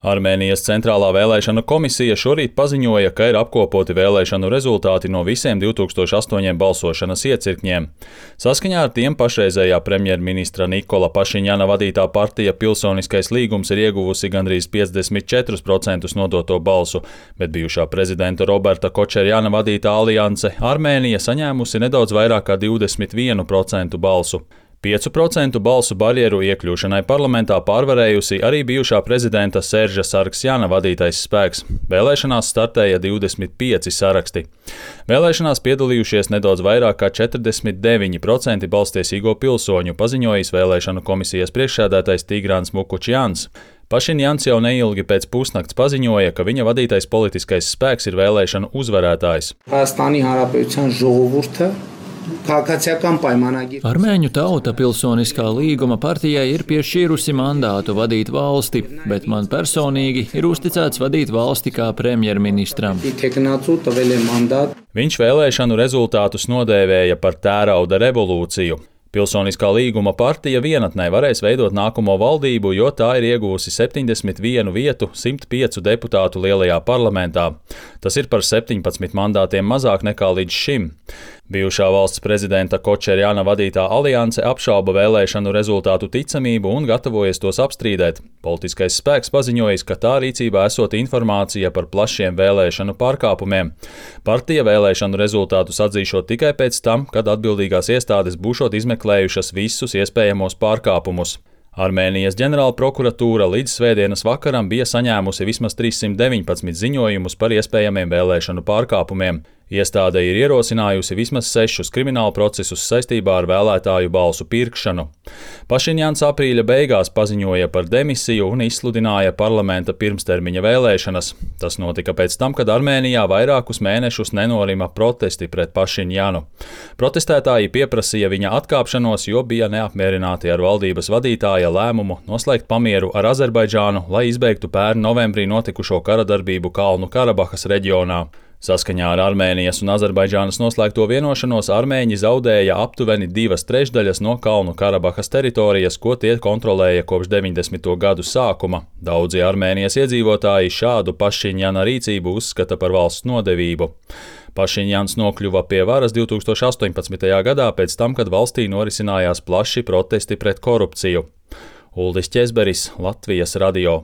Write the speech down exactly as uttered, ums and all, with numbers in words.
Armēnijas centrālā vēlēšanu komisija šorīt paziņoja, ka ir apkopoti vēlēšanu rezultāti no visiem divi tūkstoši astoņiem balsošanas iecirkņiem. Saskaņā ar tiem pašreizējā premjerministra Nikola Pašiņjana vadītā partija Pilsoniskais līgums ir ieguvusi gandrīz piecdesmit četrus procentus nodoto balsu, bet bijušā prezidenta Roberta Kočerjana vadītā alianse Armēnija saņēmusi nedaudz vairāk kā divdesmit vienu procentu balsu. piecu procentu balsu barjeru iekļūšanai parlamentā pārvarējusi arī bijušā prezidenta Serža Sargsjana vadītais spēks. Vēlēšanās startēja divdesmit pieci saraksti. Vēlēšanās piedalījušies nedaudz vairāk kā četrdesmit deviņi procenti balstiesīgo pilsoņu, paziņojis vēlēšanu komisijas priekšsēdētājs Tigrans Mukučjans. Pašiņjans jau neilgi pēc pusnakts paziņoja, ka viņa vadītais politiskais spēks ir vēlēšanu uzvarētājs. Armēņu tauta Pilsoniskā līguma partijai ir piešķīrusi mandātu vadīt valsti, bet man personīgi ir uzticēts vadīt valsti kā premjerministram. Viņš vēlēšanu rezultātus nodēvēja par tērauda revolūciju. Pilsoniskā līguma partija vienatnē varēs veidot nākamo valdību, jo tā ir ieguvusi septiņdesmit vienu vietu simt piecu deputātu lielajā parlamentā. Tas ir par septiņpadsmit mandātiem mazāk nekā līdz šim. Bijušā valsts prezidenta Kočerjana vadītā alianse apšauba vēlēšanu rezultātu ticamību un gatavojas tos apstrīdēt. Politiskais spēks paziņojis, ka tā rīcībā esot informācija par plašiem vēlēšanu pārkāpumiem. Partija vēlēšanu rezultātus atzīšot tikai pēc tam, kad atbildīgās iestādes būšot izmeklējušas visus iespējamos pārkāpumus. Armēnijas ģenerāla prokuratūra līdz svētdienas vakaram bija saņēmusi vismaz trīssimt deviņpadsmit ziņojumus par iespējamiem vēlēšanu pārkāpumiem. Iestāde ir ierosinājusi vismaz sešus kriminālu procesus saistībā ar vēlētāju balsu pirkšanu. Pašiņjans aprīļa beigās paziņoja par demisiju un izsludināja parlamenta pirmstermiņa vēlēšanas. Tas notika pēc tam, kad Armēnijā vairākus mēnešus nenorima protesti pret Pašiņjanu. Protestētāji pieprasīja viņa atkāpšanos, jo bija neapmierināti ar valdības vadītāja lēmumu noslēgt pamieru ar Azerbaidžānu, lai izbeigtu pērn novembrī notikušo karadarbību Kalnu Karabahas reģionā. Saskaņā ar Armēnijas un Azerbaidžānas noslēgto vienošanos Armēņi zaudēja aptuveni divas trešdaļas no Kalnu Karabahas teritorijas, ko tie kontrolēja kopš deviņdesmito gadu sākuma. Daudzi Armēnijas iedzīvotāji šādu Pašiņjana rīcību uzskata par valsts nodevību. Pašiņjans nokļuva pie varas divi tūkstoši astoņpadsmitajā gadā pēc tam, kad valstī norisinājās plaši protesti pret korupciju. Uldis Ķezberis, Latvijas radio.